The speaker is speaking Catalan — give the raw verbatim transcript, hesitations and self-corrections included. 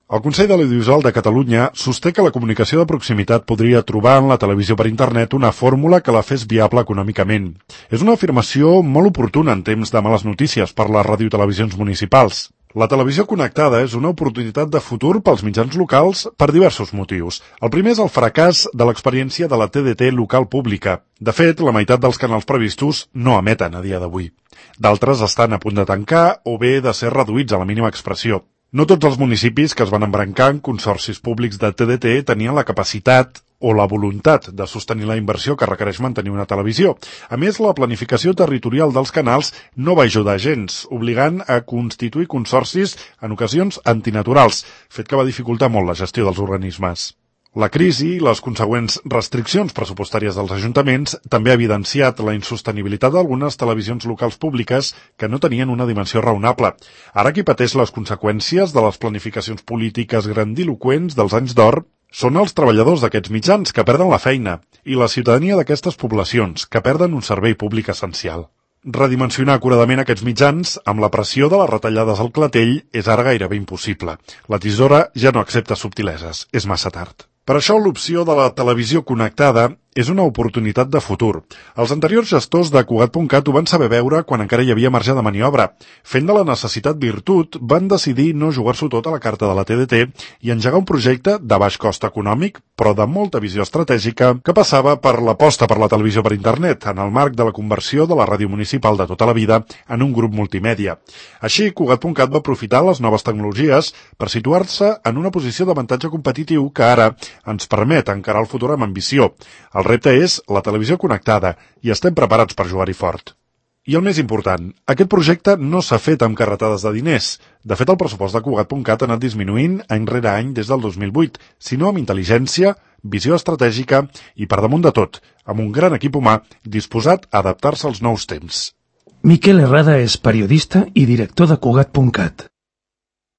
El Consell de l'Audiovisual de Catalunya sosté que la comunicació de proximitat podria trobar en la televisió per internet una fórmula que la fes viable econòmicament. És una afirmació molt oportuna en temps de males notícies per les radiotelevisions municipals. La televisió connectada és una oportunitat de futur pels mitjans locals per diversos motius. El primer és el fracàs de l'experiència de la T D T local pública. De fet, la meitat dels canals previstos no emeten a dia d'avui. D'altres estan a punt de tancar o bé de ser reduïts a la mínima expressió. No tots els municipis que es van embrancar en consorcis públics de T D T tenien la capacitat o la voluntat de sostenir la inversió que requereix mantenir una televisió. A més, la planificació territorial dels canals no va ajudar gens, obligant a constituir consorcis en ocasions antinaturals, fet que va dificultar molt la gestió dels organismes. La crisi i les consegüents restriccions pressupostàries dels ajuntaments també ha evidenciat la insostenibilitat d'algunes televisions locals públiques que no tenien una dimensió raonable. Ara qui pateix les conseqüències de les planificacions polítiques grandiloqüents dels anys d'or són els treballadors d'aquests mitjans que perden la feina i la ciutadania d'aquestes poblacions que perden un servei públic essencial. Redimensionar acuradament aquests mitjans amb la pressió de les retallades al clatell és ara gairebé impossible. La tisora ja no accepta subtileses, és massa tard. Per això l'opció de la televisió connectada és una oportunitat de futur. Els anteriors gestors de Cugat punt cat ho van saber veure quan encara hi havia marge de maniobra. Fent de la necessitat virtut, van decidir no jugar-s'ho tot a la carta de la T D T i engegar un projecte de baix cost econòmic, però de molta visió estratègica, que passava per l'aposta per la televisió per internet, en el marc de la conversió de la ràdio municipal de tota la vida en un grup multimèdia. Així, Cugat punt cat va aprofitar les noves tecnologies per situar-se en una posició d'avantatge competitiu que ara ens permet encarar el futur amb ambició. El repte és la televisió connectada i estem preparats per jugar-hi fort. I el més important, aquest projecte no s'ha fet amb carretades de diners. De fet, el pressupost de Cugat punt cat ha anat disminuint any rere any des del dos mil vuit, sinó amb intel·ligència, visió estratègica i, per damunt de tot, amb un gran equip humà disposat a adaptar-se als nous temps. Miquel Herrada és periodista i director de Cugat punt cat.